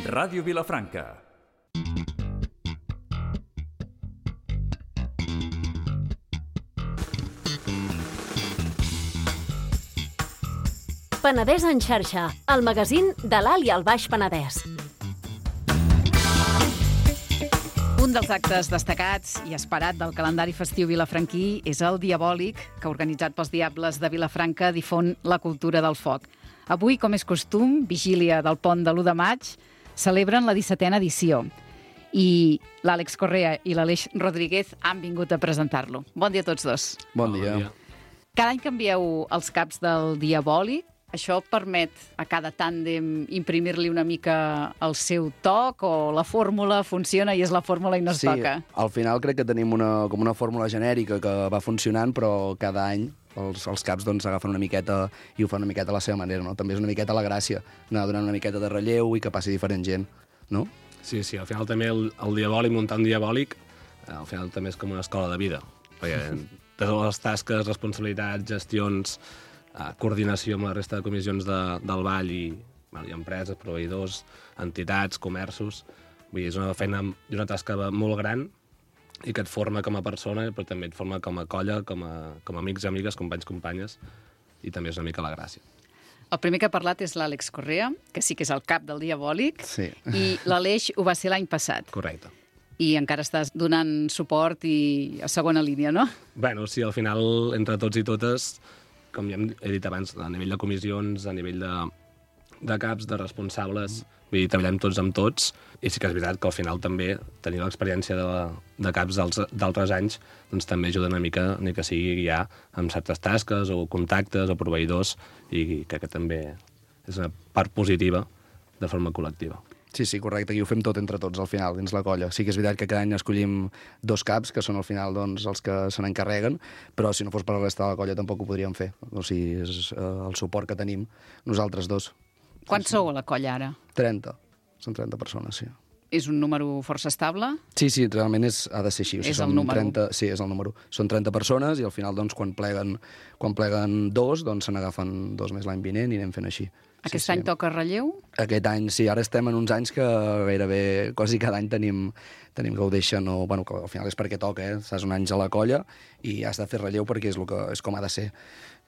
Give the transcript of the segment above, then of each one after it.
Ràdio Vilafranca. Penedès en xarxa, el magazín de l'Alt i el Baix Penedès. Un dels actes destacats i esperat del calendari festiu vilafranquí és el Diabòlic, que, organitzat pels Diables de Vilafranca, difon la cultura del foc. Avui, com és costum, vigília del pont de l'1 de maig, celebren la 17a edició. I l'Àlex Correa i l'Aleix Rodríguez han vingut a presentar-lo. Bon dia a tots dos. Bon dia. Cada any canvieu els caps del Diabòlic. Això permet a cada tàndem imprimir-li una mica el seu toc, o la fórmula funciona i és la fórmula i no es toca? Sí, al final crec que tenim com una fórmula genèrica que va funcionant, però cada any els caps agafen una miqueta i ho fan una miqueta a la seva manera, no? També és una miqueta la gràcia, anar donant una miqueta de relleu i que passi diferent gent, no? Sí, al final també el Diabòlic, muntar un Diabòlic, al final també és com una escola de vida, perquè totes les tasques, responsabilitats, gestions, coordinació amb la resta de comissions del ball i empreses, proveïdors, entitats, comerços. Vull dir, és una feina i una tasca molt gran i que et forma com a persona, però també et forma com a colla, com a amics i amigues, companys, companyes, i també és una mica la gràcia. El primer que ha parlat és l'Àlex Correa, que sí que és el cap del Diabòlic, sí. I l'Aleix ho va ser l'any passat. Correcte. I encara estàs donant suport i a segona línia, no? Bueno, sí, al final, entre tots i totes, com ja he dit abans, a nivell de comissions, a nivell de caps, de responsables, vull dir, treballem tots amb tots, i sí que és veritat que al final també tenir l'experiència de caps d'altres anys doncs també ajuda una mica, ni que sigui guiar amb certes tasques o contactes o proveïdors, i crec que també és una part positiva de forma col·lectiva. Sí, correcte, aquí ho fem tot entre tots al final, dins la colla. Sí que és veritat que cada any escollim 2 caps, que són al final els que se n'encarreguen, però si no fos per la resta de la colla tampoc ho podríem fer. O sigui, és el suport que tenim nosaltres dos. Quants sou a la colla ara? 30. Són 30 persones, sí. És un número força estable? Sí, realment ha de ser així. O sigui, és el número. 30, sí, és el número. Són 30 persones i al final, quan pleguen 2, se n'agafen 2 més l'any vinent i anem fent així. Aquest any toca relleu? Aquest any, sí. Ara estem en uns anys que gairebé quasi cada any tenim que ho deixen, que al final és perquè toca, Estàs un any a la colla i has de fer relleu perquè és com ha de ser.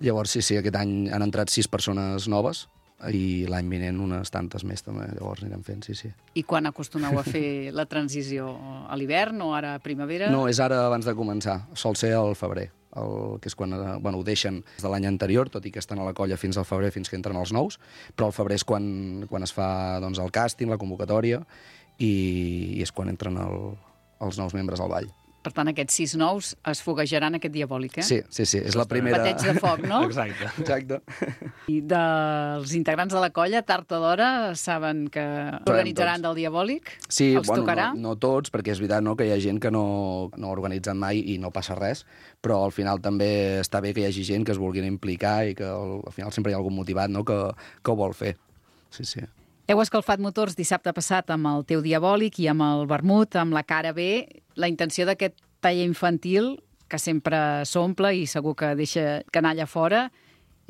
Llavors, sí, aquest any han entrat 6 persones noves i l'any vinent unes tantes més també. Llavors anirem fent, sí. I quan acostumeu a fer la transició? A l'hivern o ara a primavera? No, és ara abans de començar. Sol ser al febrer. Que és quan ho deixen des de l'any anterior, tot i que estan a la colla fins al febrer, fins que entren els nous, però al febrer és quan es fa el càsting, la convocatòria, i és quan entren els nous membres al ball. Per tant, aquests 6 nous es foguejaran aquest Diabòlic, Sí, és la primera... Bateig de foc, no? Exacte. I dels integrants de la colla, tard o d'hora, saben que organitzaran del Diabòlic? Sí, els tocarà? No tots, perquè és veritat que hi ha gent que no ha organitzat mai i no passa res, però al final també està bé que hi hagi gent que es vulguin implicar i que al final sempre hi ha algun motivat que ho vol fer. Sí. Heu escalfat motors dissabte passat amb el teu Diabòlic i amb el vermut, amb la cara B. La intenció d'aquest taller infantil, que sempre s'omple i segur que deixa canalla fora,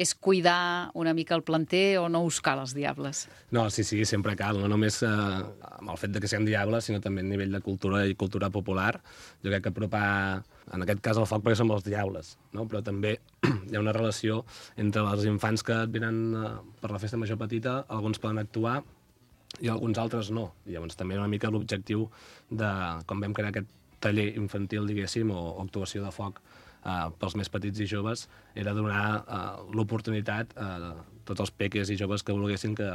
és cuidar una mica el planter o no us cal els Diables? No, sí, sempre cal, no només amb el fet de que siguem Diables, sinó també a nivell de cultura i cultura popular. Jo crec que apropar, en aquest cas, el foc perquè som els Diables, no? Però també hi ha una relació entre els infants que venen per la festa major petita, alguns poden actuar i alguns altres no. I llavors també una mica l'objectiu de, quan vam crear aquest taller infantil, diguéssim, o actuació de foc pels més petits i joves, era donar l'oportunitat a tots els peques i joves que volguessin, que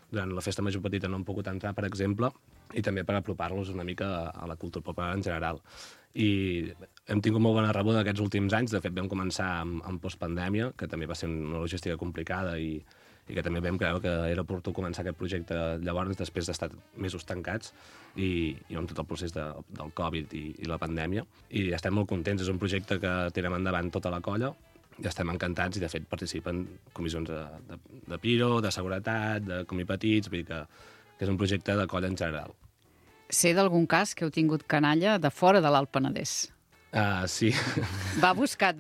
durant la festa major petita no han pogut entrar, per exemple, i també per apropar-los una mica a la cultura popular en general. I hem tingut molt bona rebuda aquests últims anys. De fet, vam començar amb postpandèmia, que també va ser una logística complicada i que també vam creure que era oportú començar aquest projecte llavors, després d'estar mesos tancats i amb tot el procés del Covid i la pandèmia. I estem molt contents. És un projecte que tirem endavant tota la colla. I estem encantats i, de fet, participen comissions de Piro, de seguretat, de Comí Petits, vull dir que és un projecte de colla en general. Sé d'algun cas que heu tingut canalla de fora de l'Alt Penedès. Sí. Va buscat.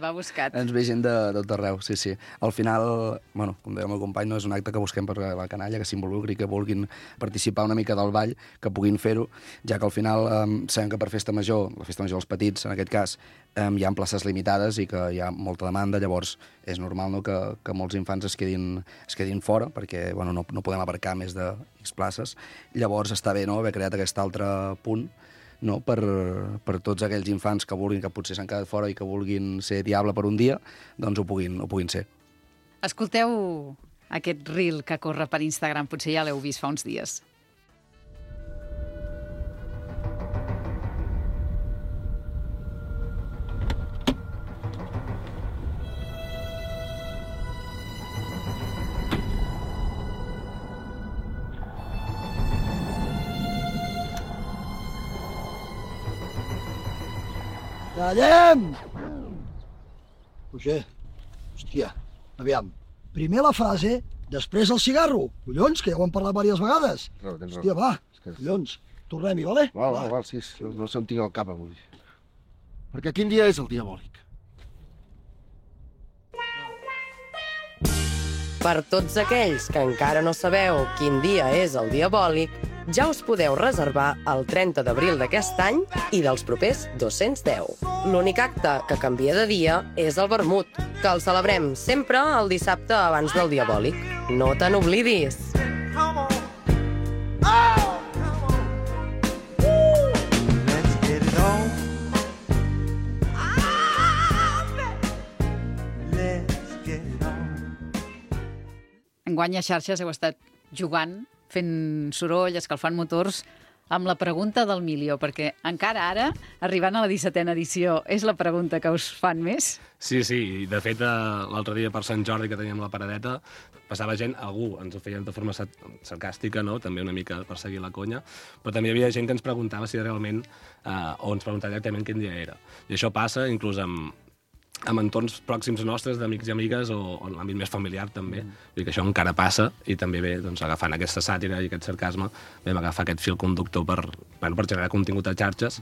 Ens ve gent de tot arreu, sí. Al final, bueno, com deia el meu company, no és un acte que busquem per la canalla, que s'involucri, que vulguin participar una mica del ball, que puguin fer-ho, ja que al final sabem que per festa major, la festa major dels petits, en aquest cas, hi ha places limitades i que hi ha molta demanda, llavors és normal, no, que molts infants es quedin fora, perquè bueno, no podem abarcar més de X places. Llavors està bé, no, haver creat aquest altre punt, no, per tots aquells infants que vulguin, que potser s'han quedat fora i que vulguin ser diable per un dia, doncs ho puguin ser. Escolteu aquest reel que corre per Instagram, potser ja l'heu vist fa uns dies. Callem! Roger, hòstia, aviam. Primer la frase, després el cigarro. Collons, que ja ho hem parlat diverses vegades. No, tens hòstia, va, collons. Tornem-hi, vale? Val, sí, no sé on tinc el cap avui. Perquè quin dia és el diabòlic? Per tots aquells que encara no sabeu quin dia és el diabòlic, ja us podeu reservar el 30 d'abril d'aquest any i dels propers 210. L'únic acte que canvia de dia és el vermut, que el celebrem sempre el dissabte abans del diabòlic. No te n'oblidis! Enguany a xarxes heu estat jugant, fent soroll, escalfant motors, amb la pregunta del milió, perquè encara ara, arribant a la 17a edició, és la pregunta que us fan més? Sí, i de fet l'altre dia per Sant Jordi que teníem la paradeta, passava gent, algú ens ho feien de forma sarcàstica, no? També una mica per seguir la conya, però també hi havia gent que ens preguntava si realment, o ens preguntava directament quin dia era. I això passa inclús amb entorns pròxims nostres, d'amics i amigues, o en l'àmbit més familiar també. Vull dir que això encara passa, i també bé, doncs, agafant aquesta sàtira i aquest sarcasme, vam agafar aquest fil conductor per generar contingut a xarxes,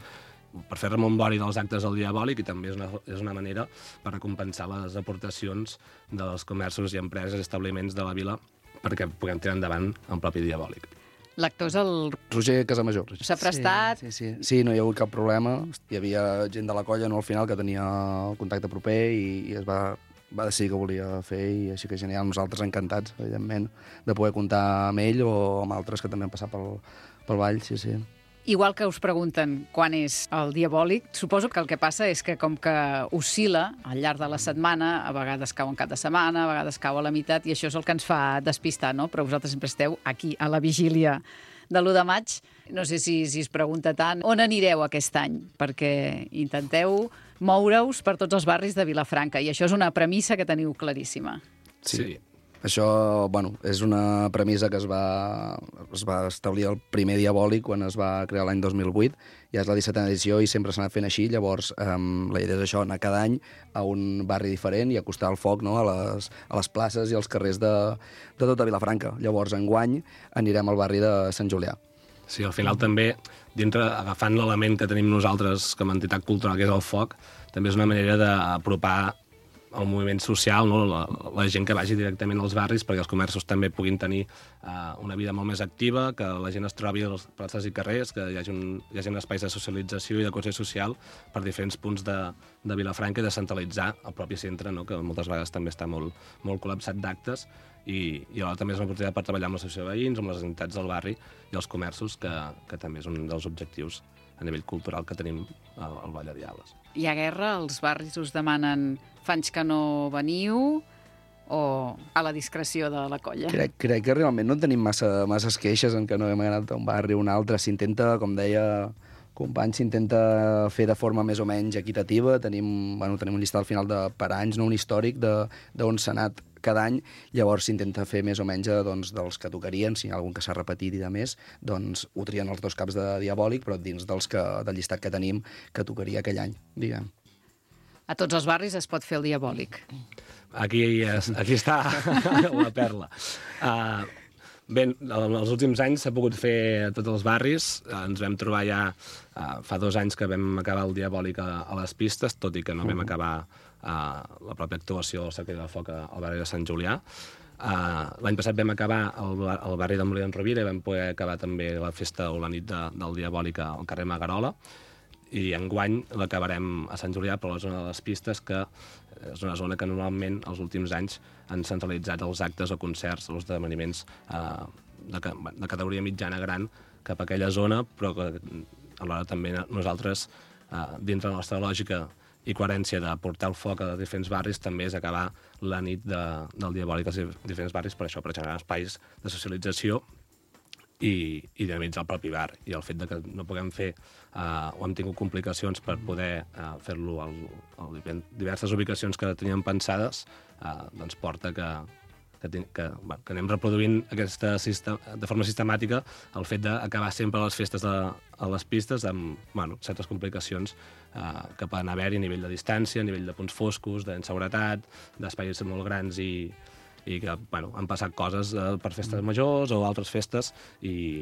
per fer remombori dels actes del diabòlic, i també és una manera per recompensar les aportacions dels comerços i empreses i establiments de la vila perquè puguem tirar endavant el propi diabòlic. L'actor és el Roger Casamajor. S'ha prestat. Sí, no hi ha hagut cap problema. Hi havia gent de la colla, no, al final, que tenia el contacte proper i es va decidir que volia fer, i així que genial. Nosaltres encantats, evidentment, de poder comptar amb ell o amb altres que també han passat pel ball, sí. Igual que us pregunten quan és el diabòlic, suposo que el que passa és que com que oscil·la al llarg de la setmana, a vegades cau en cap de setmana, a vegades cau a la meitat, i això és el que ens fa despistar, no? Però vosaltres sempre esteu aquí, a la vigília de l'1 de maig. No sé si es pregunta tant on anireu aquest any, perquè intenteu moure-us per tots els barris de Vilafranca, i això és una premissa que teniu claríssima. Sí. Això, bueno, és una premissa que es va establir el primer diabòlic quan es va crear l'any 2008, ja és la 17a edició i sempre s'ha anat fent així. Llavors la idea és això, anar cada any a un barri diferent i acostar el foc, no, a les places i als carrers de tota Vilafranca. Llavors enguany anirem al barri de Sant Julià. Sí, al final també, agafant l'element que tenim nosaltres com a entitat cultural, que és el foc, també és una manera d'apropar el moviment social, no? La gent que vagi directament als barris perquè els comerços també puguin tenir una vida molt més activa, que la gent es trobi a les places i carrers, que hi hagi espais de socialització i de cohesió social per diferents punts de Vilafranca i de centralitzar el propi centre, no? Que moltes vegades també està molt col·lapsat d'actes, i alhora també és una oportunitat per treballar amb l'associació de veïns, amb les entitats del barri i els comerços, que també és un dels objectius a nivell cultural que tenim al Ball de Diables. Hi ha guerra? Els barris us demanen fa anys que no veniu, o a la discreció de la colla? Crec que realment no tenim masses queixes en que no hem anat a un barri o un altre. S'intenta, com deia company, s'intenta fer de forma més o menys equitativa. Tenim un llistat al final per anys, no, un històric d'on s'ha anat cada any. Llavors s'intenta fer més o menys dels que tocarien. Si hi ha algun que s'ha repetit i de més, doncs ho trien els 2 caps de diabòlic, però dins del llistat que tenim que tocaria aquell any, diguem. A tots els barris es pot fer el diabòlic. Aquí està la perla. Bé, els últims anys s'ha pogut fer a tots els barris. Ens vam trobar ja fa 2 anys que vam acabar el Diabòlic a les pistes, tot i que no vam acabar la pròpia actuació del Cercle del Foc al barri de Sant Julià. L'any passat vam acabar al barri de Molí d'en Rovira i vam poder acabar també la festa o la nit del Diabòlic al carrer Magarola. I enguany l'acabarem a Sant Julià, però a la zona de les pistes, que és una zona que normalment els últims anys han centralitzat els actes o concerts, els esdeveniments de categoria mitjana gran cap a aquella zona, però que alhora també nosaltres, dintre de la nostra lògica i coherència de portar el foc a diferents barris, també és acabar la nit del Diabòlic als diferents barris, per això, per generar espais de socialització i dinamitzar el propi bar. I el fet de que no puguem fer o hem tingut complicacions per poder fer-lo a diverses ubicacions que teníem pensades, doncs porta que anem reproduint de forma sistemàtica el fet d'acabar sempre les festes a les pistes amb certes complicacions que poden haver-hi a nivell de distància, a nivell de punts foscos, d'inseguretat, d'espais molt grans i que han passat coses per festes majors o altres festes.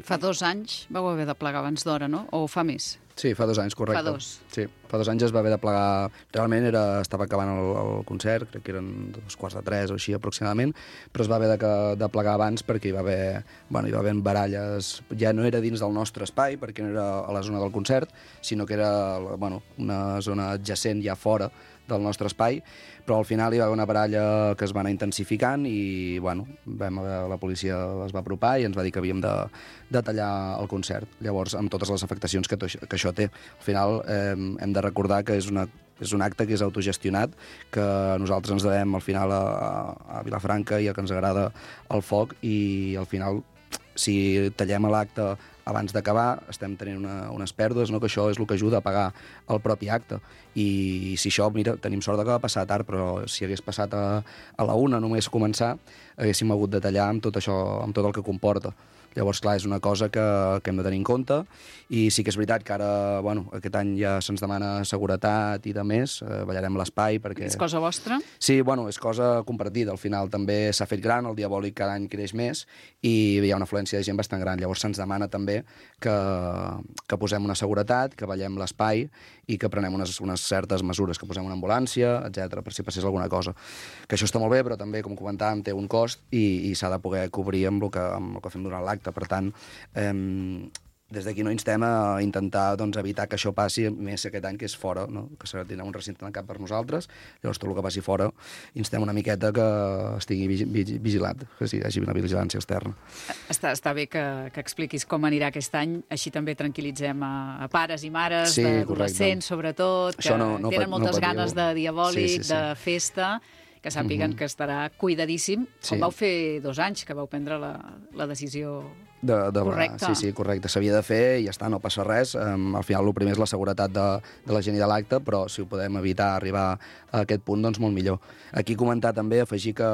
Fa 2 anys vau haver de plegar abans d'hora, no? O fa més? Sí, fa 2 anys, correcte. Fa 2. Sí, fa 2 anys es va haver de plegar... Realment estava acabant el concert, crec que eren 2:45 o així aproximadament, però es va haver de plegar abans perquè hi va haver baralles. Ja no era dins del nostre espai, perquè no era a la zona del concert, sinó que era una zona adjacent ja fora del nostre espai, però al final hi va haver una baralla que es va anar intensificant i la policia es va apropar i ens va dir que havíem de tallar el concert. Llavors, amb totes les afectacions que això té. Al final hem de recordar que és un acte que és autogestionat, que nosaltres ens devem al final a Vilafranca i que ens agrada el foc i al final si tallem l'acte abans d'acabar estem tenint unes pèrdues, no? Que això és el que ajuda a pagar el propi acte. I si això, mira, tenim sort que va passar tard, però si hagués passat a la 1 només començar, haguéssim hagut de tallar amb tot això, amb tot el que comporta. Llavors, clar, és una cosa que hem de tenir en compte i sí que és veritat que ara, aquest any ja se'ns demana seguretat i de més, ballarem l'espai perquè... És cosa vostra? Sí, és cosa compartida. Al final també s'ha fet gran, el Diabòlic cada any creix més i hi ha una afluència de gent bastant gran. Llavors se'ns demana també que posem una seguretat, que ballem l'espai i que prenem unes certes mesures, que posem una ambulància, etc per si passés alguna cosa. Que això està molt bé, però també, com comentàvem, té un cost i s'ha de poder cobrir amb el que fem durant l'acte. Per tant, des d'aquí no instem a intentar evitar que això passi, més aquest any que és fora, no? Que tindrà un recinte tancat per nosaltres, llavors tot el que passi fora instem una miqueta que estigui vigilat, que hi hagi una vigilància externa. Està bé que expliquis com anirà aquest any, així també tranquil·litzem a pares i mares, sí, d'adolescents sobretot, que tenen moltes ganes de Diabòlic, de festa, que sàpiguen que estarà cuidadíssim, com vau fer 2 anys que vau prendre la decisió correcta. Sí, correcte. S'havia de fer i ja està, no passa res. Al final el primer és la seguretat de la gent i de l'acte, però si ho podem evitar arribar a aquest punt, doncs molt millor. Aquí comentar també, afegir que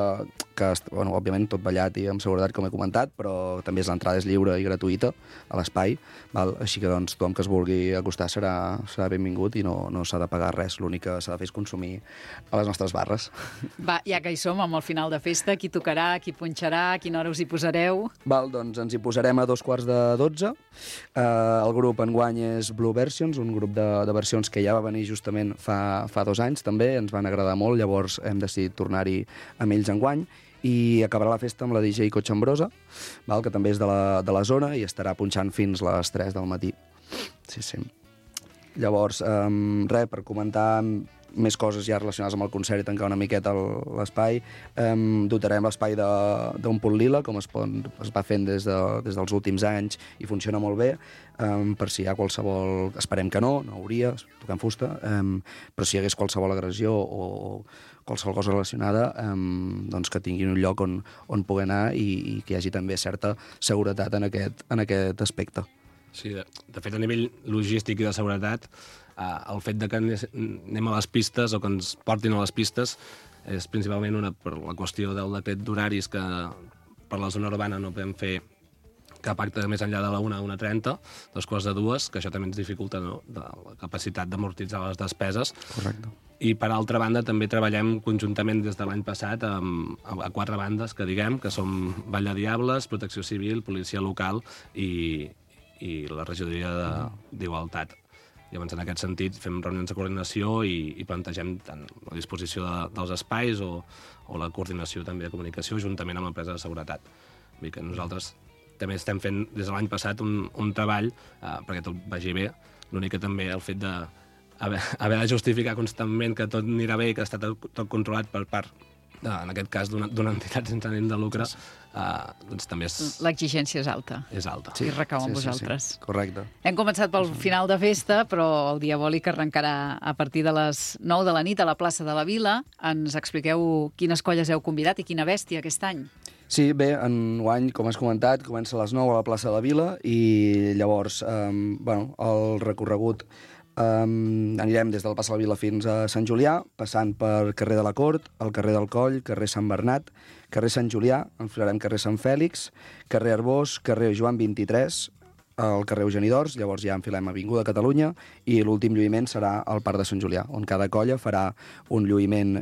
òbviament tot ballat i amb seguretat, com he comentat, però també l'entrada és lliure i gratuïta a l'espai, així que doncs tothom que es vulgui acostar serà benvingut i no s'ha de pagar res. L'únic que s'ha de fer és consumir a les nostres barres. Va, ja que hi som, amb el final de festa, qui tocarà, qui punxarà, a quina hora us hi posareu? Doncs ens hi posarem a 11:45. El grup enguany és Blue Versions, un grup de versions que ja va venir justament fa 2 anys també, ens van agradar molt, llavors hem decidit tornar-hi amb ells enguany i acabarà la festa amb la DJ Cotxambrosa, que també és de la zona i estarà punxant fins les 3 del matí. Sí. Llavors, per comentar més coses ja relacionades amb el concert i tancar una miqueta l'espai, dotarem l'espai d'un punt lila, com es va fent des dels últims anys i funciona molt bé, per si hi ha qualsevol... Esperem que no hauria, tocant fusta, però si hi hagués qualsevol agressió o qualsevol cosa relacionada, doncs que tinguin un lloc on poder anar i que hi hagi també certa seguretat en aquest aspecte. Sí, de fet, a nivell logístic i de seguretat, el fet de que anem a les pistes o que ens portin a les pistes és principalment per la qüestió del decret d'horaris, que per la zona urbana no podem fer cap acte més enllà de la 1 a 1:30, 2:45, que això també ens dificulta, no?, la capacitat d'amortitzar les despeses. Correcte. I, per altra banda, també treballem conjuntament des de l'any passat a 4 bandes, que diguem, que som Vall de Diables, Protecció Civil, Policia Local i la Regidoria d'Igualtat. Llavors, en aquest sentit, fem reunions de coordinació i plantegem tant la disposició dels espais o la coordinació també de comunicació juntament amb l'empresa de seguretat. Vull dir que nosaltres també estem fent des de l'any passat un treball perquè tot vagi bé. L'únic que també el fet haver de justificar constantment que tot anirà bé i que està tot controlat per part, en aquest cas, d'una entitat sense ànim de lucre, doncs també és... L'exigència és alta. És alta. I recau en vosaltres. Sí. Correcte. Hem començat pel final de festa, però el Diabòlic arrencarà a partir de les 9 de la nit a la plaça de la Vila. Ens expliqueu quines colles heu convidat i quina bèstia aquest any. Sí, bé, enguany, com has comentat, comença a les 9 a la plaça de la Vila i llavors, el recorregut anirem des del Plaça de la Vila fins a Sant Julià, passant per carrer de la Cort, el carrer del Coll, carrer Sant Bernat, carrer Sant Julià, enfilarem carrer Sant Fèlix, carrer Arbós, carrer Joan 23, al carrer Eugeni d'Ors, llavors ja enfilem Avinguda Catalunya i l'últim lluïment serà al Parc de Sant Julià, on cada colla farà un lluïment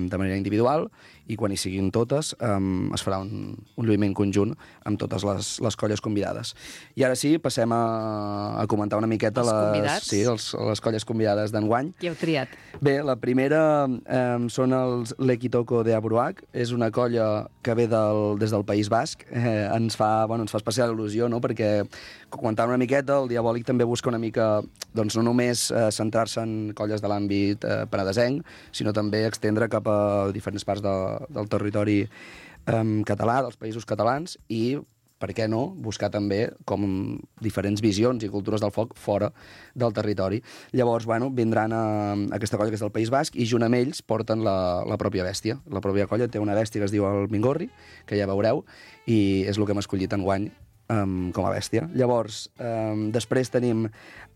de manera individual i quan hi siguin totes es farà un lluïment conjunt amb totes les colles convidades. I ara sí, passem a comentar una miqueta les colles convidades d'enguany. Qui heu triat? Bé, la primera són els L'Equitoco de Abruac, és una colla que ve des del País Basc. Ens fa especial il·lusió, no?, perquè comentant una miqueta, el Diabòlic també busca una mica, doncs no només centrar-se en colles de l'àmbit penedesenc, sinó també extendre cap a diferents parts del territori català, dels països catalans, i, per què no, buscar també com diferents visions i cultures del foc fora del territori. Llavors, vindran a aquesta colla que és del País Basc i junt amb ells porten la pròpia bèstia. La pròpia colla té una bèstia que es diu el Mingorri, que ja veureu, i és el que hem escollit enguany com a bèstia. Llavors, després tenim,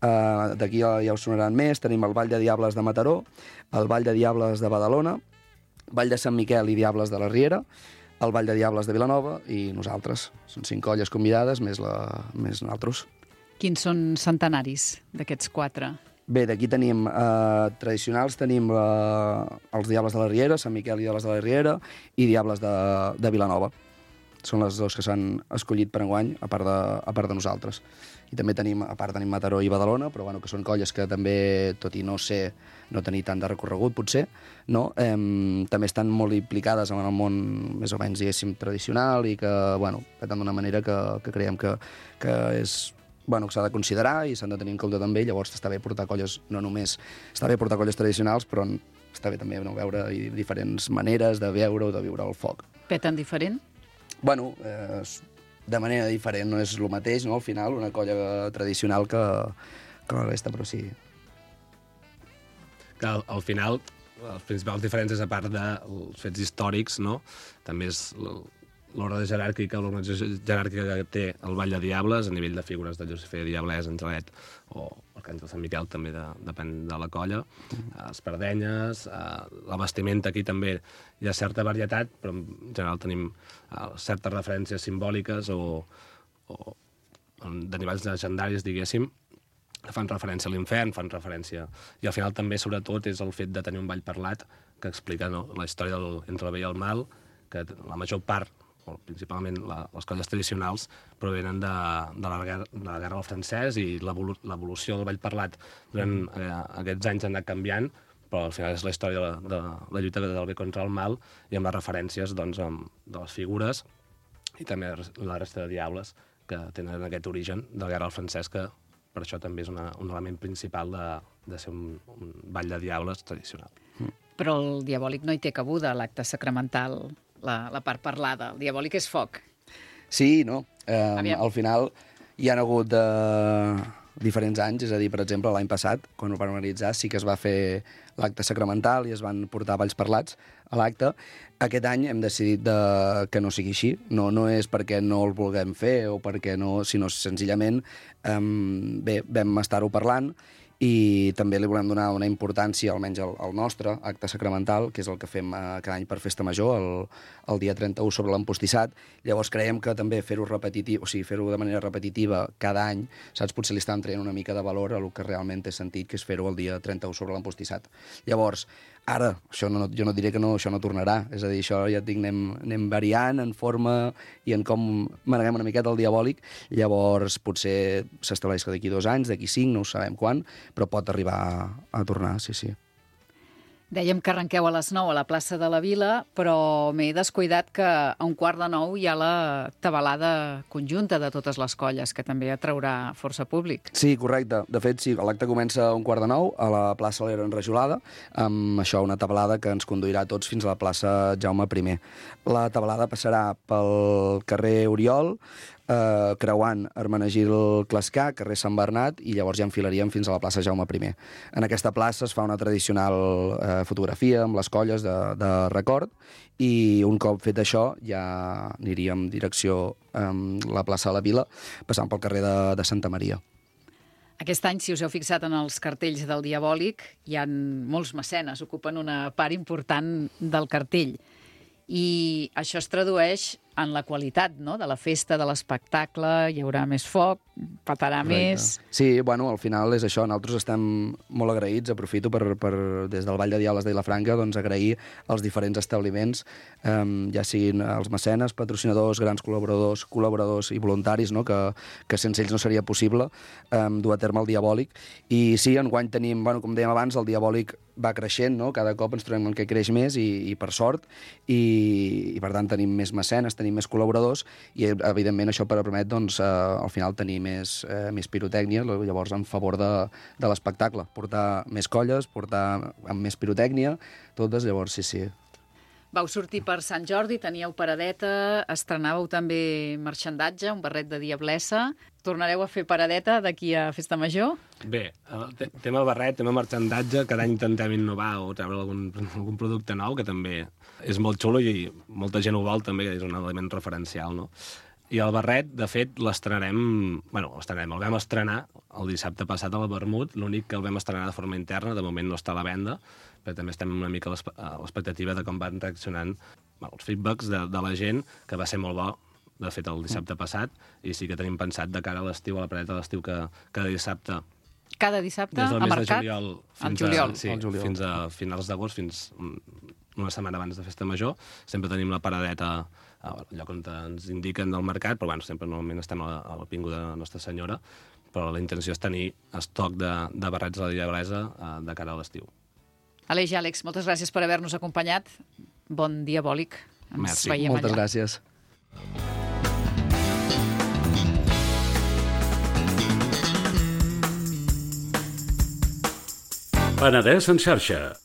d'aquí ja us sonaran més, tenim el Vall de Diables de Mataró, el Vall de Diables de Badalona, Vall de Sant Miquel i Diables de la Riera, el Vall de Diables de Vilanova i nosaltres. Són 5 colles convidades, més nosaltres. Quins són centenaris d'aquests 4? Bé, d'aquí tenim tradicionals, tenim els Diables de la Riera, Sant Miquel i Diables de la Riera, i Diables de Vilanova. Són les dos que s'han escollit per enguany, a part de nosaltres. I també tenim Mataró i Badalona, però que són colles que també, tot i no tenir tant de recorregut, potser, no? També estan molt implicades en el món, més o menys, diguéssim, tradicional, i que peten d'una manera que creiem que és que s'ha de considerar i s'han de tenir en compte també. Llavors està bé portar colles, no només està bé portar colles tradicionals, però està bé també veure diferents maneres de veure o de viure el foc. Peten diferent? De manera diferent, no és el mateix, no? Al final, una colla tradicional que la resta, però sí. Que al final, les principals diferències, a part dels fets històrics, no?, també és l'ordre jeràrquica, l'organització jeràrquica que té el Vall de Diables, a nivell de figures de Josefer, Diablès, Angelet, o Arcàngel Sant Miquel, també depèn de la colla, espardenyes, la vestimenta, aquí també hi ha certa varietat, però en general tenim certes referències simbòliques o derivats legendaris, diguéssim, que fan referència a l'infern, fan referència... I al final també, sobretot, és el fet de tenir un ball parlat que explica la història entre el bé i el mal, que la major part, o principalment les colles tradicionals, provenen de la guerra del francès, i l'evolució del ball parlat durant aquests anys ha anat canviant, però al final és la història de la lluita del bé contra el mal, i amb les referències de les figures i també la resta de diables que tenen aquest origen de la guerra del francès, que per això també és un element principal de ser un ball de diables tradicional. Però el Diabòlic no hi té cabuda, l'acte sacramental, la part parlada. El Diabòlic és foc. Sí, no. Al final hi ha hagut diferents anys, és a dir, per exemple, l'any passat, quan ho van organitzar, sí que es va fer l'acte sacramental i es van portar balls parlats a l'acte. Aquest any hem decidit que no sigui així. No és perquè no el vulguem fer o perquè no, sinó senzillament vam estar-ho parlant i també li volem donar una importància, almenys al nostre acte sacramental, que és el que fem cada any per Festa Major, el dia 31 sobre l'empostissat. Llavors creiem que també fer-ho repetitiu, o sigui, fer-ho de manera repetitiva cada any, saps, potser li estan traient una mica de valor a el que realment té sentit, que és fer-ho el dia 31 sobre l'empostissat. Llavors, ara, jo no diré que això no tornarà, és a dir, això ja et dic, anem variant en forma i en com maneguem una miqueta el Diabòlic, llavors potser s'estableix que d'aquí 2 anys, d'aquí 5, no ho sabem quan, però pot arribar a tornar, sí. Dèiem que arrenqueu a les 9 a la plaça de la Vila, però m'he descuidat que a 8:45 hi ha la tabalada conjunta de totes les colles, que també atraurà força públic. Sí, correcte. De fet, sí, l'acte comença a 8:45 a la plaça L'Era Enrajolada, amb això, una tabalada que ens conduirà tots fins a la plaça Jaume I. La tabalada passarà pel carrer Oriol, creuant Hermenegil Clascà, carrer Sant Bernat, i llavors ja enfilaríem fins a la plaça Jaume I. En aquesta plaça es fa una tradicional fotografia amb les colles de record, i un cop fet això ja aniríem direcció a la plaça de la Vila, passant pel carrer de Santa Maria. Aquest any, si us heu fixat en els cartells del Diabòlic, hi ha molts mecenes, ocupen una part important del cartell. I això es tradueix en la qualitat, no?, de la festa, de l'espectacle, hi haurà més foc, petarà més... Sí, bueno, al final és això, nosaltres estem molt agraïts, aprofito per des del Vall de Diables de Vilafranca, doncs agrair als diferents establiments, ja siguin els mecenes, patrocinadors, grans col·laboradors i voluntaris, no?, que sense ells no seria possible dur a terme el Diabòlic. I sí, enguany tenim, bueno, com dèiem abans, el Diabòlic va creixent, no?, cada cop ens trobem que creix més i per sort, i per tant tenim més mecenes, tenim més col·laboradors, i evidentment això permet, doncs, al final tenir més pirotècnia, llavors en favor de l'espectacle, portar més colles, portar amb més pirotècnia, totes, llavors sí. Vau sortir per Sant Jordi, teníeu paradeta, estrenàveu també marxandatge, un barret de diablessa. Tornareu a fer paradeta d'aquí a Festa Major? Bé, tema barret, tema marxandatge, cada any intentem innovar o treure algun producte nou, que també és molt xulo i molta gent ho vol també, és un element referencial, no? I el barret, de fet, el vam estrenar el dissabte passat al Vermut, l'únic que el vam estrenar de forma interna, de moment no està a la venda, però també estem una mica a l'expectativa de com van reaccionant els feedbacks de la gent, que va ser molt bo, de fet, el dissabte passat, i sí que tenim pensat de cara a l'estiu, a la paradeta de l'estiu, que cada dissabte... Cada dissabte, a mercat? Des del mes de juliol fins a finals d'agost, fins una setmana abans de Festa Major, sempre tenim la paradeta al lloc on ens indiquen del mercat, però bueno, sempre normalment estem a la Pinguda de Nostra Senyora, però la intenció és tenir estoc de barrets de la Diablesa de cara a l'estiu. Aleix i Àlex, moltes gràcies per haver-nos acompanyat. Bon Diabòlic. Ens veiem allà. Moltes gràcies. Penedès en xarxa.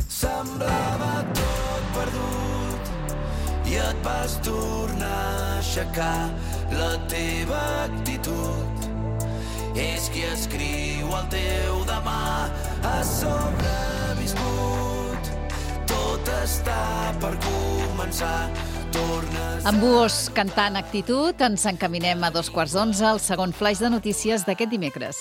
Semblava tot perdut i et vas tornar a aixecar. La teva actitud és qui escriu el teu demà. Has sobreviscut, tot està per començar. Amb Buos cantant Actitud, ens encaminem a 11:15 al segon flaix de notícies d'aquest dimecres.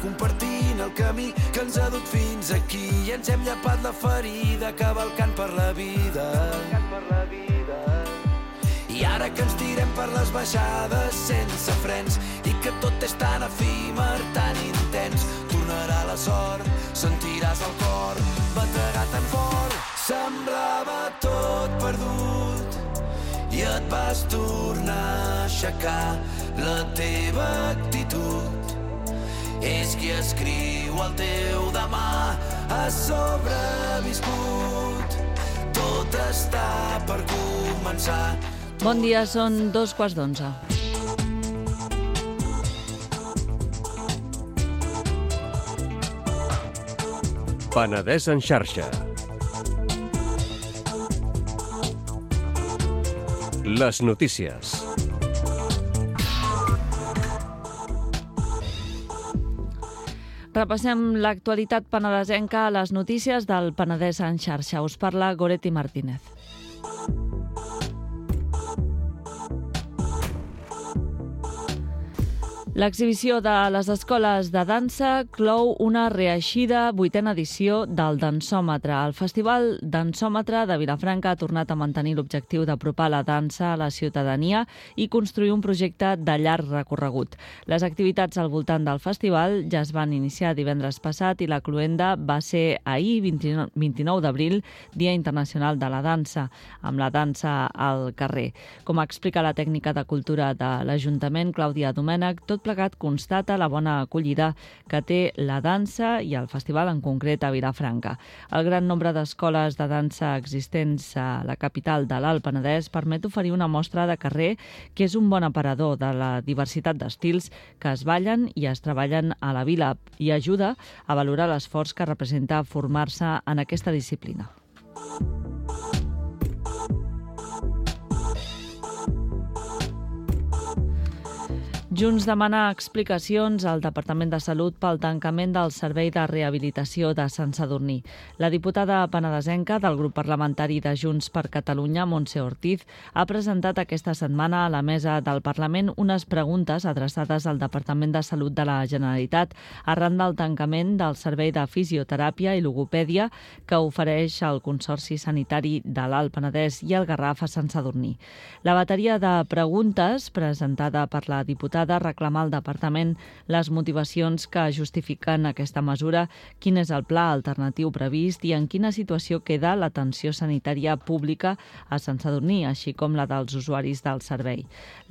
Compartint el camí que ens ha dut fins aquí i ens hem llapat la ferida cavalcant per la vida. I ara que ens tirem per les baixades sense frens i que tot és tan efímer, tan intens, tornarà la sort, sentiràs el cor bategar tan fort. Semblava tot perdut i et vas tornar a aixecar. La teva actitud és qui escriu el teu demà. Has sobreviscut, tot està per començar. Bon dia, són 2:15. Penedès en xarxa. Les notícies. Repassem l'actualitat penedesenca a les notícies del Penedès en xarxa. Us parla Goretti Martínez. L'exhibició de les escoles de dansa clou una reeixida 8a edició del Dansòmetre. El Festival Dansòmetre de Vilafranca ha tornat a mantenir l'objectiu d'apropar la dansa a la ciutadania i construir un projecte de llarg recorregut. Les activitats al voltant del festival ja es van iniciar divendres passat i la cloenda va ser ahir, 29 d'abril, Dia Internacional de la Dansa, amb la dansa al carrer. Com explica la tècnica de cultura de l'Ajuntament, Clàudia Domènech, tot plegat constata la bona acollida que té la dansa i el festival en concret a Vilafranca. El gran nombre d'escoles de dansa existents a la capital de l'Alt Penedès permet oferir una mostra de carrer que és un bon aparador de la diversitat d'estils que es ballen i es treballen a la vila i ajuda a valorar l'esforç que representa formar-se en aquesta disciplina. Junts demana explicacions al Departament de Salut pel tancament del Servei de Rehabilitació de Sant Sadurní. La diputada penedesenca del grup parlamentari de Junts per Catalunya, Montse Ortiz, ha presentat aquesta setmana a la mesa del Parlament unes preguntes adreçades al Departament de Salut de la Generalitat arran del tancament del Servei de Fisioteràpia i Logopèdia que ofereix el Consorci Sanitari de l'Alt Penedès i el Garraf a Sant Sadurní. La bateria de preguntes presentada per la diputada reclamar al Departament les motivacions que justifiquen aquesta mesura, quin és el pla alternatiu previst i en quina situació queda l'atenció sanitària pública a Sant Sadurní, així com la dels usuaris del servei.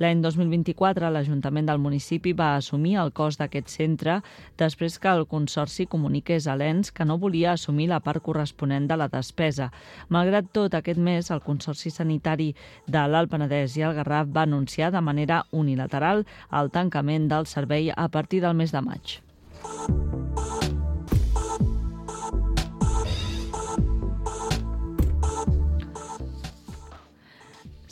L'any 2024, l'Ajuntament del municipi va assumir el cost d'aquest centre després que el Consorci comuniqués a l'ENS que no volia assumir la part corresponent de la despesa. Malgrat tot, aquest mes, el Consorci Sanitari de l'Alt Penedès i el Garraf va anunciar de manera unilateral el tancament del servei a partir del mes de maig.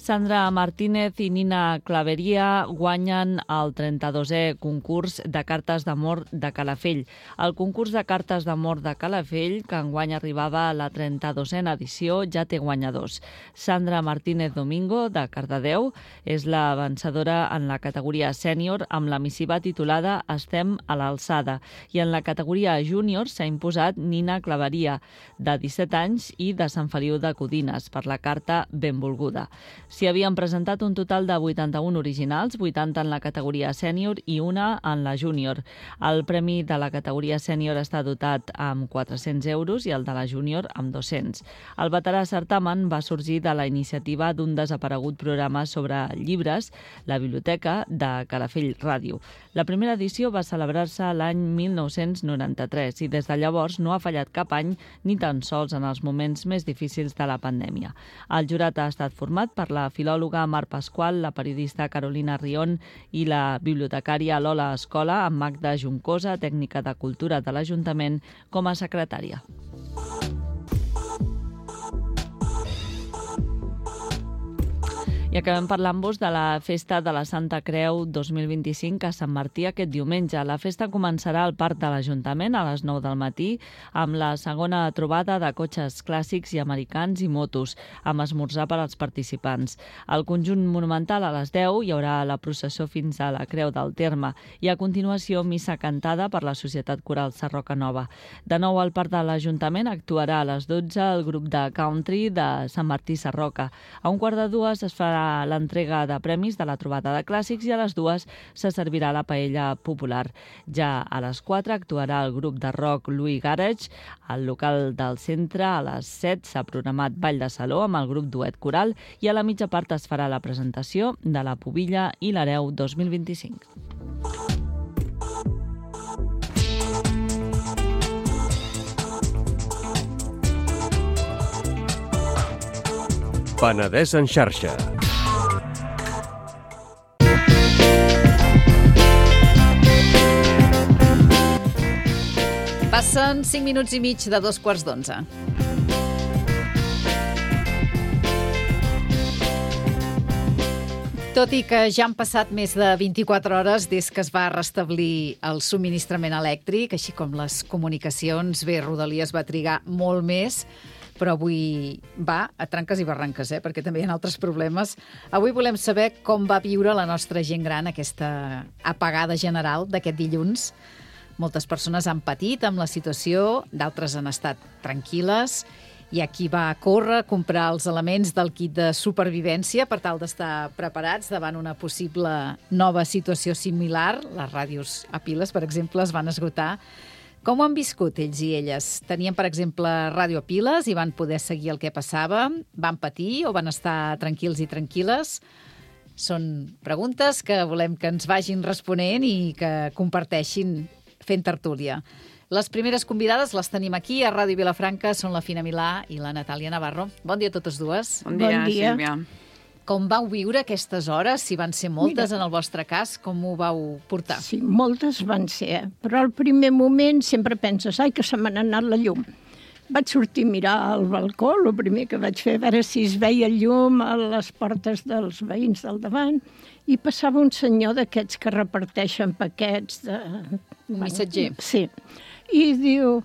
Sandra Martínez i Nina Claveria guanyen el 32è concurs de cartes d'amor de Calafell. El concurs de cartes d'amor de Calafell, que enguany arribava a la 32a edició, ja té guanyadors. Sandra Martínez Domingo, de Cardedeu, és la vencedora en la categoria sènior amb la missiva titulada Estem a l'alçada. I en la categoria júnior s'ha imposat Nina Claveria, de 17 anys i de Sant Feliu de Codines, per la carta Benvolguda. S'hi havien presentat un total de 81 originals, 80 en la categoria sènior i una en la júnior. El premi de la categoria sènior està dotat amb 400 euros i el de la júnior amb 200. El veterà certamen va sorgir de la iniciativa d'un desaparegut programa sobre llibres, la Biblioteca de Calafell Ràdio. La primera edició va celebrar-se l'any 1993 i des de llavors no ha fallat cap any ni tan sols en els moments més difícils de la pandèmia. El jurat ha estat format per la filòloga Mar Pasqual, la periodista Carolina Rion i la bibliotecària Lola Escola, amb Magda Juncosa, tècnica de cultura de l'Ajuntament, com a secretària. I acabem parlant-vos de la Festa de la Santa Creu 2025 a Sant Martí aquest diumenge. La festa començarà al Parc de l'Ajuntament a les 9 del matí amb la segona trobada de cotxes clàssics i americans i motos, amb esmorzar per als participants. Al conjunt monumental a les 10 hi haurà la processó fins a la Creu del Terme i a continuació missa cantada per la Societat Coral Sarroca Nova. De nou al Parc de l'Ajuntament actuarà a les 12 el grup de country de Sant Martí Sarroca. A 1:45 es farà l'entrega de premis de la trobada de clàssics i a les 2 se servirà la paella popular. Ja a les 4 actuarà el grup de rock Louis Garage. Al local del centre a les 7 s'ha programat ball de saló amb el grup Duet Coral i a la mitja part es farà la presentació de la Pubilla i l'Hereu 2025. Penedès en xarxa. Passen 5 minuts i mig de 11:45. Tot i que ja han passat més de 24 hores des que es va restablir el subministrament elèctric, així com les comunicacions, bé, Rodalies va trigar molt més, però avui va a tranques i barranques, perquè també hi ha altres problemes. Avui volem saber com va viure la nostra gent gran aquesta apagada general d'aquest dilluns. Moltes persones han patit amb la situació, d'altres han estat tranquil·les. Hi ha qui va córrer a comprar els elements del kit de supervivència per tal d'estar preparats davant una possible nova situació similar. Les ràdios a piles, per exemple, es van esgotar. Com ho han viscut ells i elles? Tenien, per exemple, ràdio a piles i van poder seguir el que passava? Van patir o van estar tranquils i tranquil·les? Són preguntes que volem que ens vagin responent i que comparteixin fent tertúlia. Les primeres convidades les tenim aquí a Ràdio Vilafranca, són la Fina Milà i la Natàlia Navarro. Bon dia a totes dues. Bon dia, Sílvia. Com vau viure aquestes hores? Si van ser moltes en el vostre cas, com ho vau portar? Sí, moltes van ser, però al primer moment sempre penses, ai, que se m'ha anat la llum. Vaig sortir a mirar al balcó, el primer que vaig fer, a veure si es veia llum a les portes dels veïns del davant, i passava un senyor d'aquests que reparteixen paquets de... Un missatger. Sí. I diu,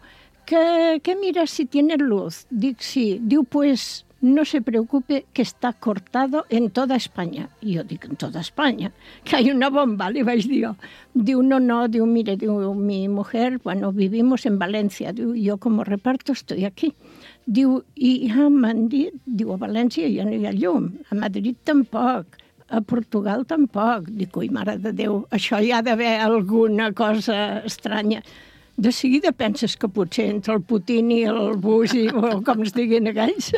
que mira si tiene luz. Dic, sí. Diu, pues no se preocupe que está cortado en toda España. I jo dic, en toda España, que hay una bomba, li vaig dir jo. Diu, no, diu, mire, diu, mi mujer, bueno, vivimos en Valencia. Diu, yo como reparto estoy aquí. Diu, i ja m'han dit, diu, a València ja no hi ha llum, a Madrid tampoc, a Portugal tampoc. Dic, ui, mare de Déu, això hi ha d'haver alguna cosa estranya. De seguida penses que potser entre el Putin i el Bush, o com es diguin aquells,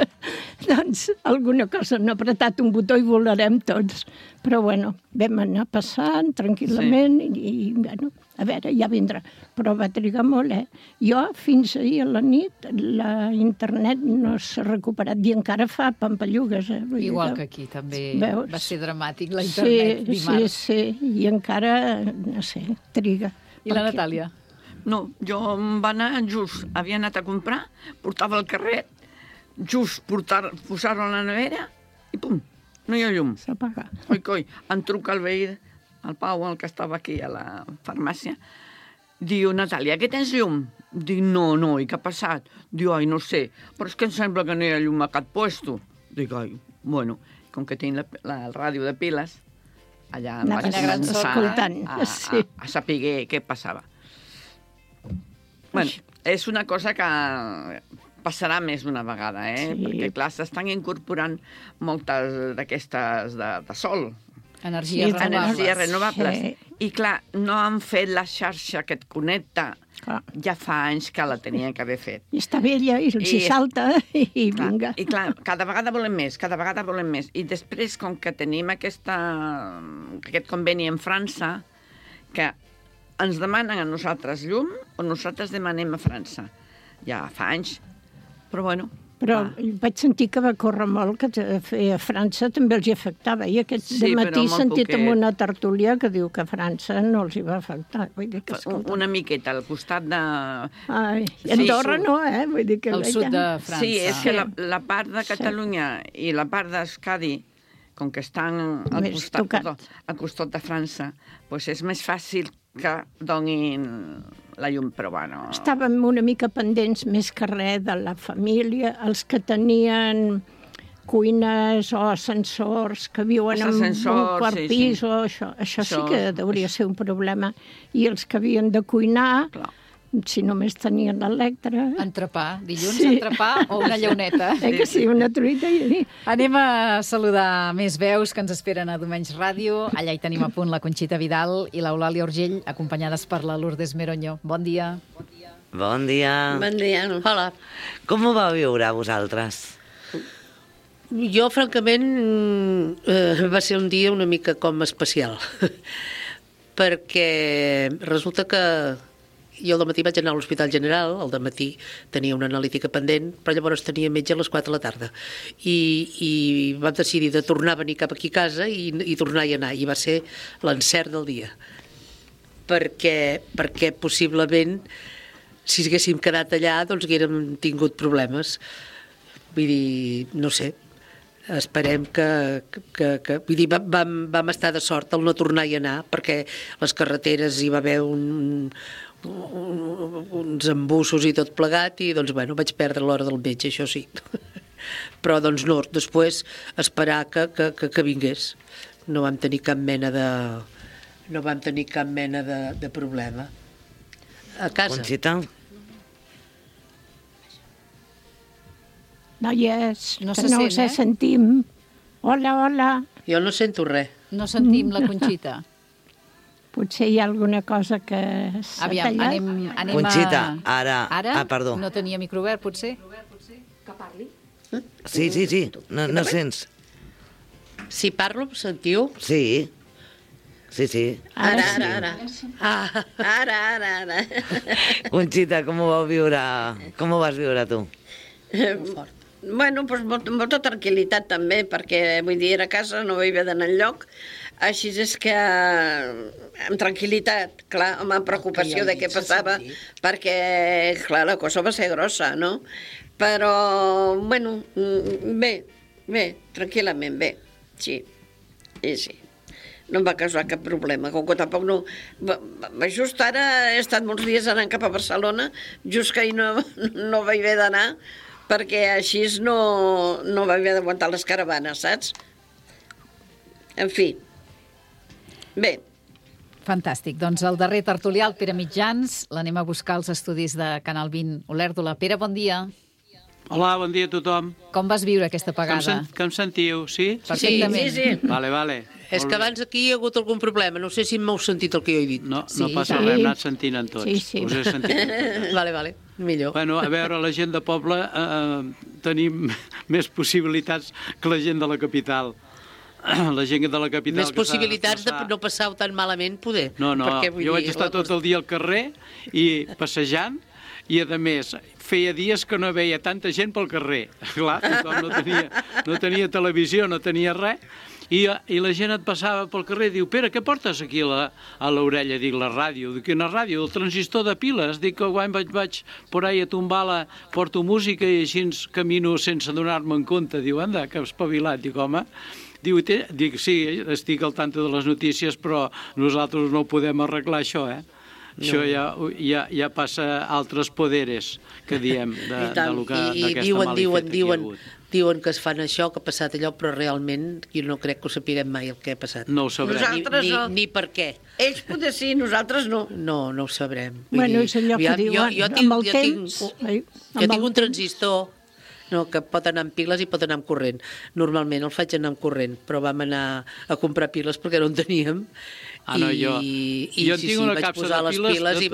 doncs alguna cosa han apretat un botó i volarem tots. Però bueno, vam anar passant tranquil·lament i bueno, a veure, ja vindrà. Però va trigar molt, Jo, fins ahir a la nit, la internet no s'ha recuperat i encara fa pampallugues, Igual que aquí, també va ser dramàtic la internet dimarts. Sí, i encara, no sé, triga. I la Natàlia? No, jo em va anar just, havia anat a comprar, portava el carret, just posar-ho a la nevera i pum, no hi ha llum. S'apaga. Coi, em truca el veí, el Pau, el que estava aquí a la farmàcia, diu, Natàlia, que tens llum? Dic, no, i què ha passat? Diu, ai, no sé, però és que em sembla que no hi ha llum a cap puesto. Dic, ai, bueno, com que tinc la ràdio de piles, allà em vaig començar a saber què passava. Bueno, és una cosa que passarà més d'una vegada, perquè, clar, s'estan incorporant moltes d'aquestes de sol. Energies renovables. I, clar, no han fet la xarxa que et connecta. Ja fa anys que la tenien que haver fet. I està vella, i els hi salta, i vinga. I, clar, cada vegada volem més. I després, com que tenim aquest conveni amb França, que ens demanen a nosaltres llum o nosaltres demanem a França. Ja fa anys, però bueno. Però vaig sentir que va córrer molt, que a França també els hi afectava. I aquest dematí he sentit en una tertúlia que diu que a França no els hi va afectar. Una miqueta al costat de... Ai, Andorra no, Vull dir que... Al sud de França. Sí, és que la part de Catalunya i la part d'Euskadi, com que estan al costat de França, doncs és més fàcil que donin la llum, però bueno... Estàvem una mica pendents més que res de la família, els que tenien cuines o ascensors, que viuen en un quart pis o això. Això sí que hauria ser un problema. I els que havien de cuinar... Si només tenien l'electre... Entrepà, dilluns entrepà o una llauneta. Que sí, una truita i... Anem a saludar més veus que ens esperen a Domenys Ràdio. Allà hi tenim a punt la Conxita Vidal i l'Eulàlia Urgell, acompanyades per la Lourdes Meroño. Bon dia. Bon dia. Bon dia. Hola. Com ho vau viure vosaltres? Jo, francament, va ser un dia una mica com especial. Perquè resulta que jo al matí vaig anar a l'Hospital General, al dematí tenia una analítica pendent, però llavors tenia metge a les 4 de la tarda. I vam decidir de tornar a venir cap aquí a casa i tornar a anar. I va ser l'encert del dia. Perquè possiblement si haguéssim quedat allà, doncs haguérem tingut problemes. Vull dir, no sé, esperem que vull dir, vam estar de sort al no tornar-hi a anar, perquè les carreteres hi va haver uns embussos i tot plegat, i doncs, bueno, vaig perdre l'hora del metge, això sí. Però, doncs, no, després esperar que vingués. No vam tenir cap mena de problema. A casa. Conxita? Noies, No que se no sent, us eh? sentim. Hola, hola. Jo no sento res. No sentim la Conxita. Potser hi ha alguna cosa que s'ha Aviam, tallat. anem Conxita, a... ara... Ara? perdó. No tenia micro obert, potser? Que parli. Sí. No sents? Si parlo, em sentiu? Sí. Ara. Conxita, com ho vas viure tu? Bueno, doncs molta tranquil·litat també, perquè vull dir, a casa no vaig haver d'anar enlloc, així és que amb tranquil·litat, clar, amb preocupació de què passava, perquè, clar, la cosa va ser grossa, no? Però, bueno, bé, tranquil·lament, bé, sí. No em va causar cap problema, com que tampoc no... Just ara he estat molts dies anant cap a Barcelona, just que ahir no vaig haver d'anar, perquè així no vaig haver d'aguantar les caravanes, saps? En fi. Bé. Fantàstic. Doncs el darrer tertulià, el Pere Mitjans, l'anem a buscar als estudis de Canal 20 Olèrdola. Pere, bon dia. Hola, bon dia a tothom. Com vas viure aquesta apagada? Que em sentiu, sí? Perfectament. Sí. Vale. És que abans aquí hi ha hagut algun problema. No sé si m'heu sentit el que jo he dit. No passa res, hem anat sentint en tots. Sí. Us he sentit. Vale, millor. Bueno, a veure, la gent de poble tenim més possibilitats que la gent de la capital. La gent de la capital... Més possibilitats de no passar-ho tan malament, poder. No, jo vaig estar tot el dia al carrer i passejant, i, a més, feia dies que no veia tanta gent pel carrer. Clar, tothom no tenia televisió, no tenia res, i la gent et passava pel carrer i diu: Pere, què portes aquí a l'orella? Dic, la ràdio. Dic, quina ràdio? El transistor de piles. Dic que quan vaig por ahí a tombar porto música i així camino sense donar-me en compte. Diu, anda, que espavilat. Dic, home... Dic, sí, estic al tanto de les notícies, però nosaltres no podem arreglar això, eh? No. Això ja passa a altres poderes, que diem, d'aquesta malifeta que hi ha hagut. Diuen que es fan això, que ha passat allò, però realment jo no crec que ho sapiguem mai el que ha passat. No ho sabrem. Nosaltres no. Ni per què. Ells potser sí, nosaltres no. No ho sabrem. Bueno, és allò que diuen, amb el temps... Jo tinc un transistor, que pot anar amb piles i pot anar amb corrent. Normalment el faig anar amb corrent, però vam anar a comprar piles perquè no en teníem. Jo tinc una vaig capsa posar de piles... les piles i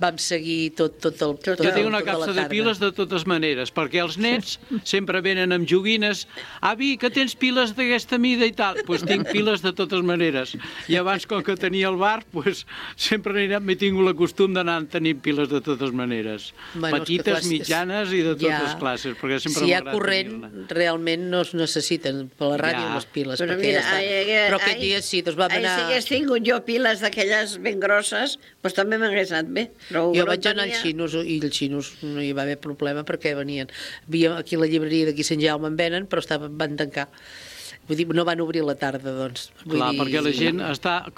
vam seguir tot el... Jo tinc una capsa de piles de totes maneres, perquè els nets sempre venen amb joguines. Avi, que tens piles d'aquesta mida i tal? Doncs tinc piles de totes maneres. I abans, com que tenia el bar, sempre m'he tingut el costum d'anar tenint piles de totes maneres. Petites, mitjanes i de totes classes, perquè sempre si hi ha corrent, realment no es necessiten per la ràdio les piles. Però aquest dia sí, doncs vam anar... Si hagués tingut jo piles d'aquelles ben grosses, doncs també m'hagués anat bé. Jo vaig anar als xinos i els xinos no hi va haver problema perquè venien. Aquí a la llibreria d'aquí Sant Jaume en venen, però van tancar. Vull dir, no van obrir a la tarda, doncs. Clar, perquè la gent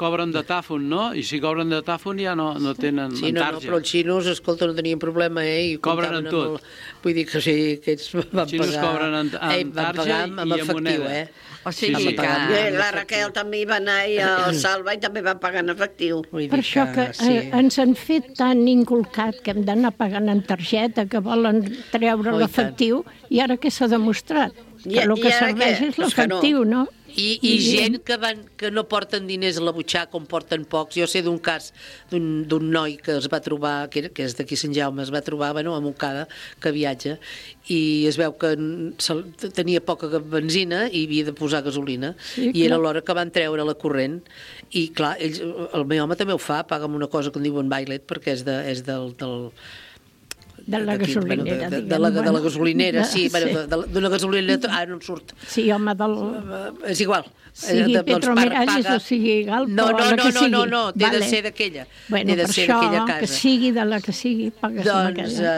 cobren de tàfon, no? I si cobren de tàfon ja no tenen tarja. Sí, però els xinos, escolta, no tenien problema, I cobren en tot. Vull dir que sí, que ells van pagar... Els xinos cobren en tarja i en moneda. O sigui que la Raquel també hi va anar i el Salva i també va pagar en efectiu. Per això que ens han fet tan inculcat que hem d'anar pagant en targeta, que volen treure l'efectiu, i ara què s'ha demostrat? Que el que serveix és l'efectiu, no? I gent que no porten diners a la butxaca, com porten pocs. Jo sé d'un cas d'un noi que es va trobar, que és d'aquí Sant Jaume, es va trobar a Montcada, que viatja, i es veu que tenia poca benzina i havia de posar gasolina, i era l'hora que van treure la corrent, i clar, el meu home també ho fa, paga amb una cosa que en diuen Violet, perquè és del De la gasolinera, de la gasolinera, sí, d'una gasolinera, ara no em surt. Sí, home, És igual. Sigui Petromiralles o sigui Galp, no, que sigui. No, té de ser d'aquella. Bueno, per això, que sigui de la que sigui, pagues amb aquella.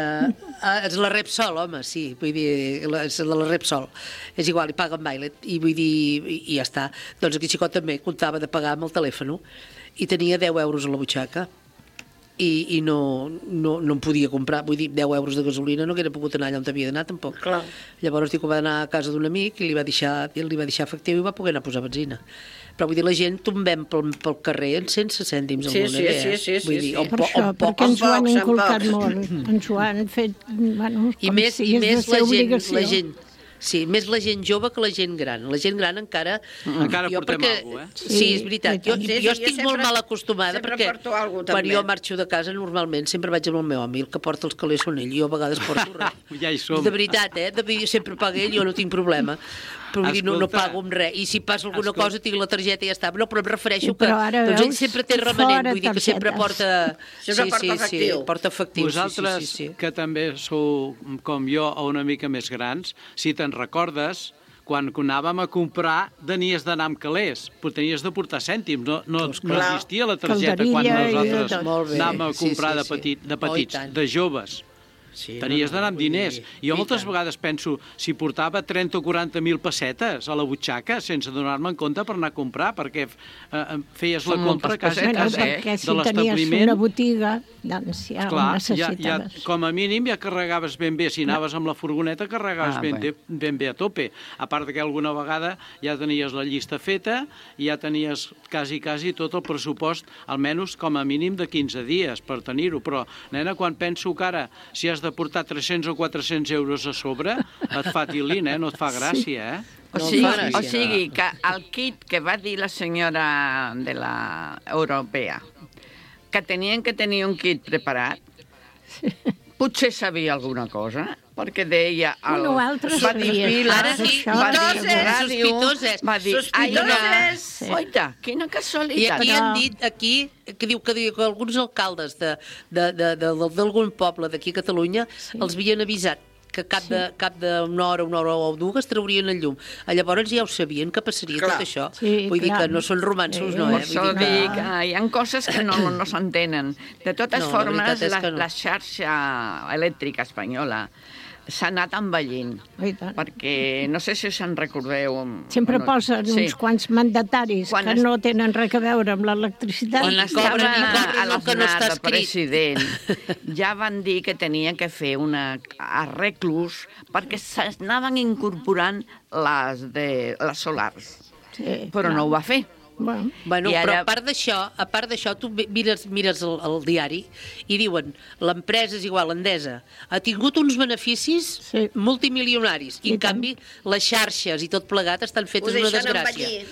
És la Repsol, home, sí, vull dir, és de la Repsol. És igual, i paga amb Violet, i vull dir, i ja està. Doncs aquí xicot també comptava de pagar amb el telèfon, i tenia 10 euros a la butxaca, i no em podia comprar, vull dir, 10 euros de gasolina no hauria pogut anar allà on havia d'anar tampoc. Clar. Llavors dic que va anar a casa d'un amic i li va deixar efectiu i va poder anar a posar benzina. Però vull dir, la gent tombem pel carrer en 100 cèntims al moneder. Sí. Per això, perquè ens ho han inculcat molt, ens ho han fet, bueno, i més la gent. Sí, més la gent jove que la gent gran. La gent gran encara portem alguna cosa, Sí, és veritat. Jo estic molt mal acostumada perquè quan jo marxo de casa normalment sempre vaig amb el meu home i el que porta els calés són ell. Jo a vegades porto res. Ja hi som. De veritat, sempre paga ell, jo no tinc problema. Però vull dir, no pago amb res. I si passa alguna cosa tinc la targeta i ja està. No, però em refereixo que doncs ell sempre té remanent, vull dir que sempre porta... Sí, porta efectiu. Vosaltres, que també sou, com jo, o una mica més grans, si te'n recordes, quan anàvem a comprar tenies d'anar amb calés, però tenies de portar cèntims, no existia la targeta quan nosaltres anàvem a comprar de petits, de joves. Tenies d'anar amb diners. Jo moltes vegades penso, si portava 30 o 40.000 pessetes a la butxaca sense donar-me en compte per anar a comprar, perquè feies la compra quasi de l'establiment. Perquè si tenies una botiga, doncs ja ho necessitaves. Com a mínim ja carregaves ben bé. Si anaves amb la furgoneta carregaves ben bé a tope. A part que alguna vegada ja tenies la llista feta i ja tenies quasi tot el pressupost, almenys com a mínim de 15 dies per tenir-ho. Però, nena, quan penso que ara, si has de portar 300 o 400 euros a sobre, et fa tilín, no et fa gràcia, O sigui, que el kit que va dir la senyora de la europea, que tenien que tenir un kit preparat, potser sabia alguna cosa, perquè deia... altres sabien. Ara sí, sospitoses. Va dir, oita, quina casualitat. I aquí han dit, que diu que alguns alcaldes d'algun poble d'aquí a Catalunya els havien avisat que cap d'una hora o dues traurien el llum. Llavors ja ho sabien que passaria tot això. Vull dir que no són romansos, no, Per això dic, hi ha coses que no s'entenen. De totes formes, la xarxa elèctrica espanyola s'ha anat envellint, perquè no sé si se'n recordeu... Sempre posen uns quants mandataris que no tenen res a veure amb l'electricitat. Quan estava a l'Aznar de president, ja van dir que tenien que fer arreglos perquè s'anaven incorporant les solars, però no ho va fer. Bueno, però a part d'això, tu mires el diari i diuen, l'empresa és igual, Endesa, ha tingut uns beneficis multimilionaris i en canvi les xarxes i tot plegat estan fetes una desgràcia.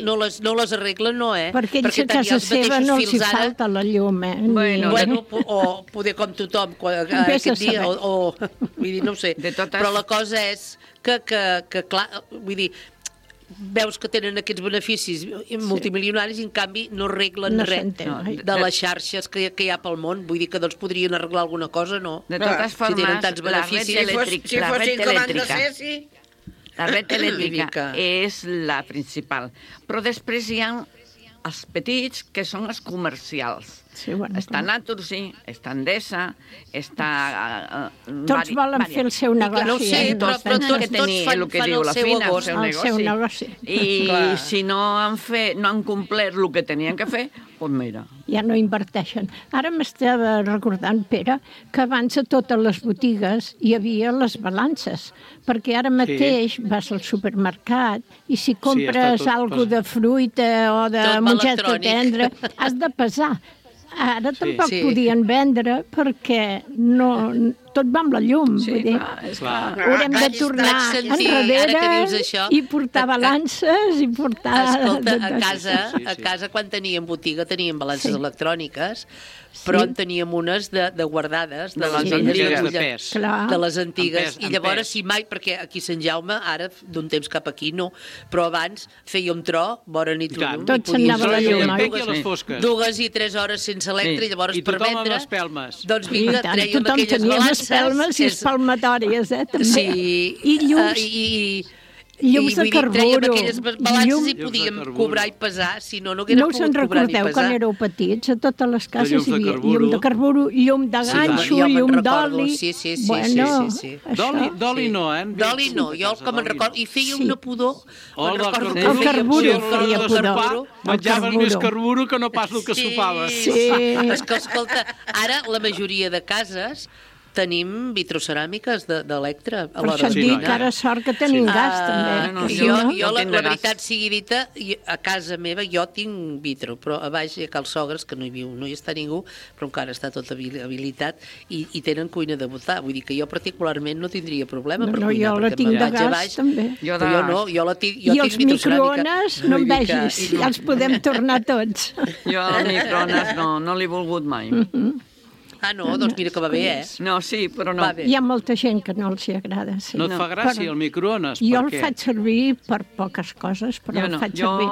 No les arreglen, no, Perquè ells a casa seva no els hi falta la llum, Bueno, o poder com tothom aquest dia, o vull dir, no ho sé. Però la cosa és que clar, vull dir, veus que tenen aquests beneficis multimilionaris i en canvi no arreglen res de les xarxes que hi ha pel món. Vull dir que doncs podrien arreglar alguna cosa, no? De totes formes, la red elèctrica és la principal. Però després hi ha els petits, que són els comercials. Està Naturgy, està Endesa, està... Tots volen fer el seu negoci. No sé, tots fan el que diu la Fina, el seu negoci. I si no han complert el que tenien que fer, doncs mira. Ja no inverteixen. Ara m'estava recordant, Pere, que abans a totes les botigues hi havia les balances, perquè ara mateix vas al supermercat i si compres alguna de fruita o de mongeta tendra, has de pesar. Ara tampoc podien vendre perquè tot va amb la llum. Sí, vull dir, clar. haurem de tornar enrere i portar balances i portar... Escolta, a casa quan teníem botiga teníem balances electròniques, però en teníem unes de guardades, de les antigues de pes. De les antigues. I llavors, si mai, perquè aquí a Sant Jaume, ara, d'un temps cap aquí, no, però abans fèiem tro, vora nit llum. Tot s'anava a la llum. 2 i 3 hores sense electre, i llavors per vendre... I tothom amb espelmes. Doncs vinga, trèiem aquelles balances. Espelmes i espalmatòries, també. Sí. I llums. Llums de carburo. Trèiem aquelles balances i podíem cobrar i pesar, si no, no haguérem pogut cobrar ni pesar. No us en recordeu, quan éreu petits, a totes les cases hi havia llum de carburo, llum de ganxo, llum d'oli... Sí. D'oli no, eh? D'oli no, jo com en recordo... I feia una pudor... El carburo feia pudor. Menjaves més carburo que no pas el que sopaves. Sí. És que, escolta, ara la majoria de cases tenim vitroceràmiques d'electre. Per això et dic que ara sort que tenim gas, també. Jo, la veritat sigui dita, a casa meva jo tinc vitro, però a baix hi ha Cal Sogres, que no hi viu, no hi està ningú, però encara està tot habilitat, i tenen cuina de botar. Vull dir que jo particularment no tindria problema per cuinar. Jo la tinc de gas, també. Jo no, jo la tinc I els microones, no em vegis, ja els podem tornar tots. Jo els microones no l'he volgut mai. Ah, no? Doncs mira que va bé, eh? No, sí, però no. Hi ha molta gent que no els hi agrada. Sí. No et fa gràcia el microones? Jo el faig servir per poques coses, però el faig servir.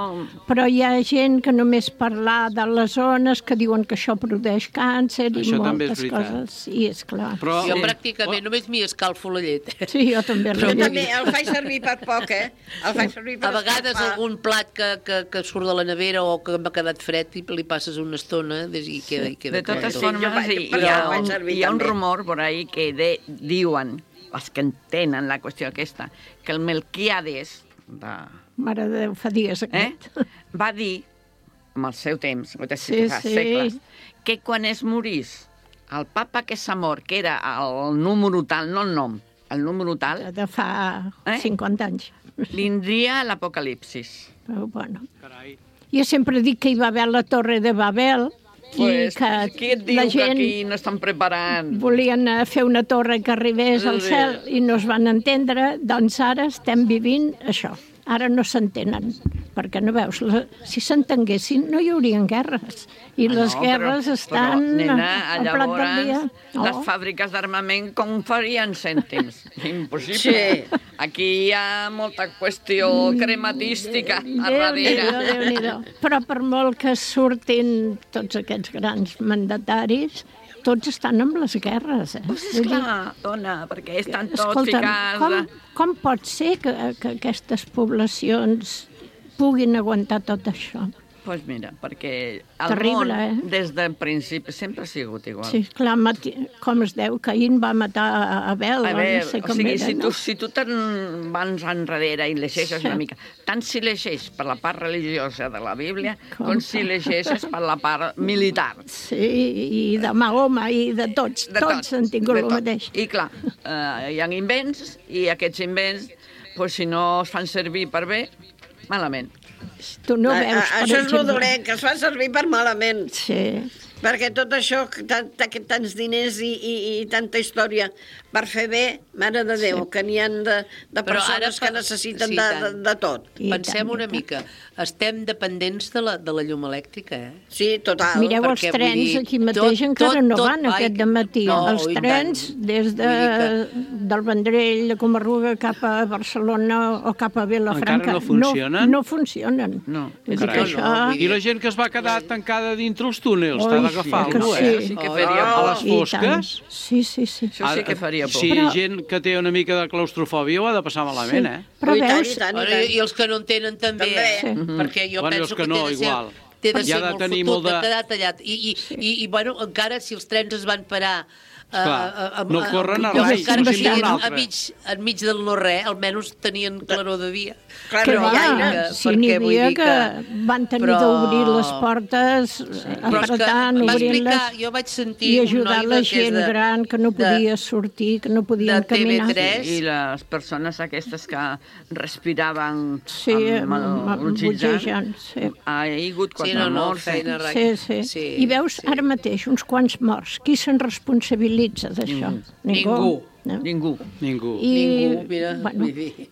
Però hi ha gent que només parlar de les zones que diuen que això produeix càncer i moltes coses. Sí, és clar. Jo pràcticament només m'hi escalfo la llet. Sí, jo també. Jo també el faig servir per poc, eh? El faig servir per a vegades algun plat que surt de la nevera o que m'ha quedat fred i li passes una estona i queda... De totes formes, hi ha un rumor por ahí que diuen, els que entenen la qüestió aquesta, que el Melquiades, Mare de Déu, fa dies aquest, va dir, amb el seu temps, segles, que quan es morís el papa que s'ha mort, que era el número tal, no el nom, el número tal... De fa 50 anys. Vindria l'apocalipsis. Però bueno. Jo sempre dic que hi va haver la Torre de Babel, Pues, qui et diu que aquí no estan preparant? Volien fer una torre que arribés al cel i no es van entendre, doncs ara estem vivint això. Ara no s'entenen, perquè no veus, si s'entenguessin no hi haurien guerres, i les guerres estan al plat del dia. Les fàbriques d'armament com farien cèntims? Impossible. Aquí hi ha molta qüestió crematística a darrere. Déu-n'hi-do. Però per molt que surtin tots aquests grans mandataris, tots estan amb les guerres. Esclar, dona, perquè estan tots ficats... Com pot ser que aquestes poblacions puguin aguantar tot això? Doncs mira, perquè el món, des del principi, sempre ha sigut igual. Sí, clar, com es deu, Caín va matar Abel, no sé com era, no? Si tu te'n vas enrere i llegeixes una mica, tant si llegeix per la part religiosa de la Bíblia, com si llegeixes per la part militar. Sí, i de Mahoma i de tots, tots han tingut el mateix. I clar, hi ha invents, i aquests invents, si no es fan servir per bé, malament. Tu no veus, això és el dolent, que es fa servir per malament. Sí. Perquè tot això, tants diners i tanta història per fer bé, mare de Déu, que n'hi ha de persones que necessiten de tot. Pensem una mica, estem dependents de la llum elèctrica, eh? Sí, total. Mireu els trens, aquí mateix encara no van aquest dematí. Els trens, des del Vendrell, de Comarruga, cap a Barcelona o cap a Vilafranca, no funcionen? No funcionen. I la gent que es va quedar tancada dintre els túnels, t'ha d'agafar algú, Sí que faria por. A les fosques? Sí. Això sí que faria por. Si gent que té una mica de claustrofòbia ho ha de passar malament, eh? Però veus... I els que no en tenen també, perquè jo penso que té de ser molt fotut de quedar tallat. I bueno, encara si els trens es van parar no corren a rai, encara que enmig del no-res, almenys tenien claror de dia. Si n'hi havia que van tenir d'obrir les portes, apretant, obrint-les, i ajudar la gent gran que no podia sortir, que no podien caminar. I les persones aquestes que respiraven amb oxigen. Ha hagut 4 morts. I veus, ara mateix, uns quants morts. Qui se'n responsabilitza responsabilitza d'això. Ningú.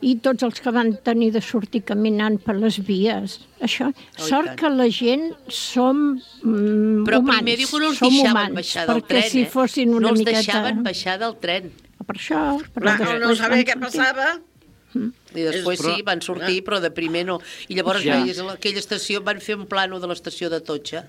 I tots els que van tenir de sortir caminant per les vies. Això, sort que la gent som humans. Però primer diu que no els deixaven baixar del tren, si fossin una no els miqueta... deixaven baixar del tren. Per això... No sabia què passava. I després sí, van sortir, però de primer no. I llavors veies a aquella estació, van fer un plano de l'estació de Totxa.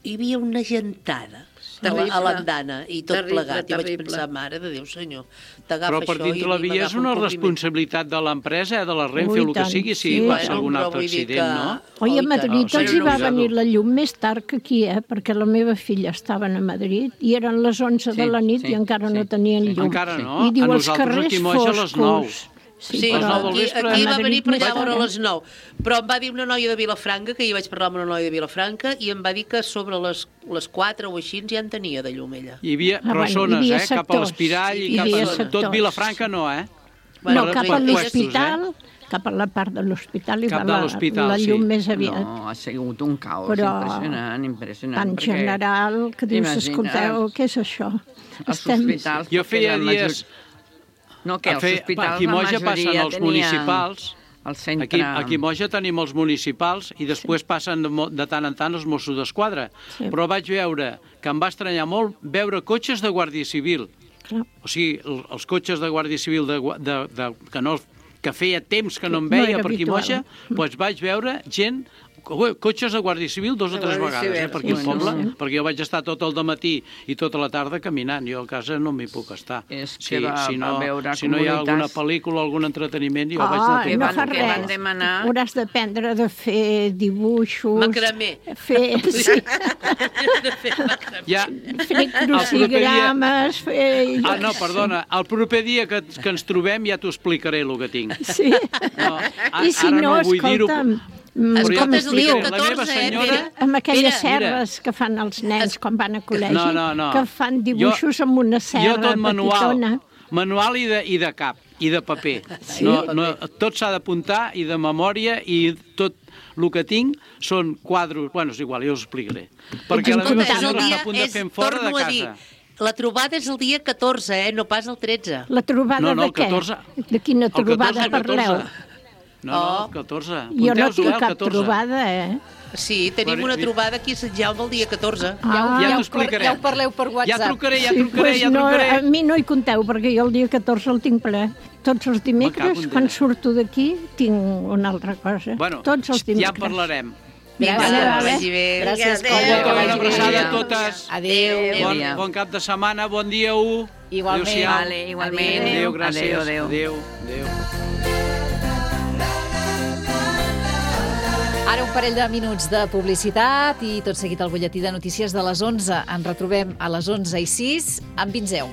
Hi havia una gentada a l'andana i tot plegat. I vaig pensar, mare de Déu, senyor, t'agafa això... Però per dintre la via és una responsabilitat de l'empresa, de la Renfe, o el que sigui, si passa algun altre accident, no? Oi, a Madrid els hi va venir la llum més tard que aquí, perquè la meva filla estava a Madrid i eren les 11 de la nit i encara no tenien llum. Encara no? I diu, A els nosaltres carrers aquí moja a les 9. Sí, aquí va venir per allà a veure a les 9. Però em va dir una noia de Vilafranca, que jo vaig parlar amb una noia de Vilafranca, i em va dir que sobre les 4 o així ja en tenia de llum ella. Hi havia persones, cap a l'Espirall i cap a... Tot Vilafranca no, No, cap a l'hospital... Cap a la part de l'hospital hi va la llum més aviat. No, ha sigut un caos impressionant. Tan general que dius, escolteu, què és això? Els hospitals... Jo feia dies... No, que els hospitals aquí a Moja passen els municipals, centre... aquí a Moja tenim els municipals i després passen de tant en tant els Mossos d'Esquadra. Però vaig veure que em va estranyar molt veure cotxes de Guàrdia Civil. O sigui, els cotxes de Guàrdia Civil que feia temps que no em veia per aquí a Moja, doncs vaig veure gent... Cotxes de Guàrdia Civil 2 o 3 vegades, per aquí al poble, perquè jo vaig estar tot el dematí i tota la tarda caminant. Jo a casa no m'hi puc estar. Si no hi ha alguna pel·lícula, algun entreteniment, jo vaig anar no fa res. Hauràs d'aprendre de fer dibuixos... Macramé. Fer crucigrames... No, perdona, el proper dia que ens trobem ja t'ho explicaré, el que tinc. Sí. I si no, escolta'm... Com es diu? Amb aquelles serres que fan els nens quan van a col·legi, que fan dibuixos amb una serra petitona. Manual i de cap, i de paper. Tot s'ha d'apuntar, i de memòria, i tot el que tinc són quadros... Bueno, és igual, jo us explicaré. Perquè la meva senyora està a punt de fer fora de casa. La trobada és el dia 14, no pas el 13. La trobada de què? De quina trobada parleu? No, el 14. Jo no tinc cap trobada, Sí, tenim una trobada aquí a Sant Jaume el dia 14. Ja t'ho explicaré. Ja ho parleu per WhatsApp. Ja trucaré. A mi no hi compteu, perquè jo el dia 14 el tinc ple. Tots els dimecres, quan surto d'aquí, tinc una altra cosa. Tots els dimecres. Ja en parlarem. Gràcies. Una abraçada a totes. Adéu. Bon cap de setmana, bon dia 1. Igualment. Adéu, gràcies. Adéu. Ara un parell de minuts de publicitat i tot seguit el butlletí de notícies de les 11. Ens retrobem a les 11:06 amb Vinzeu.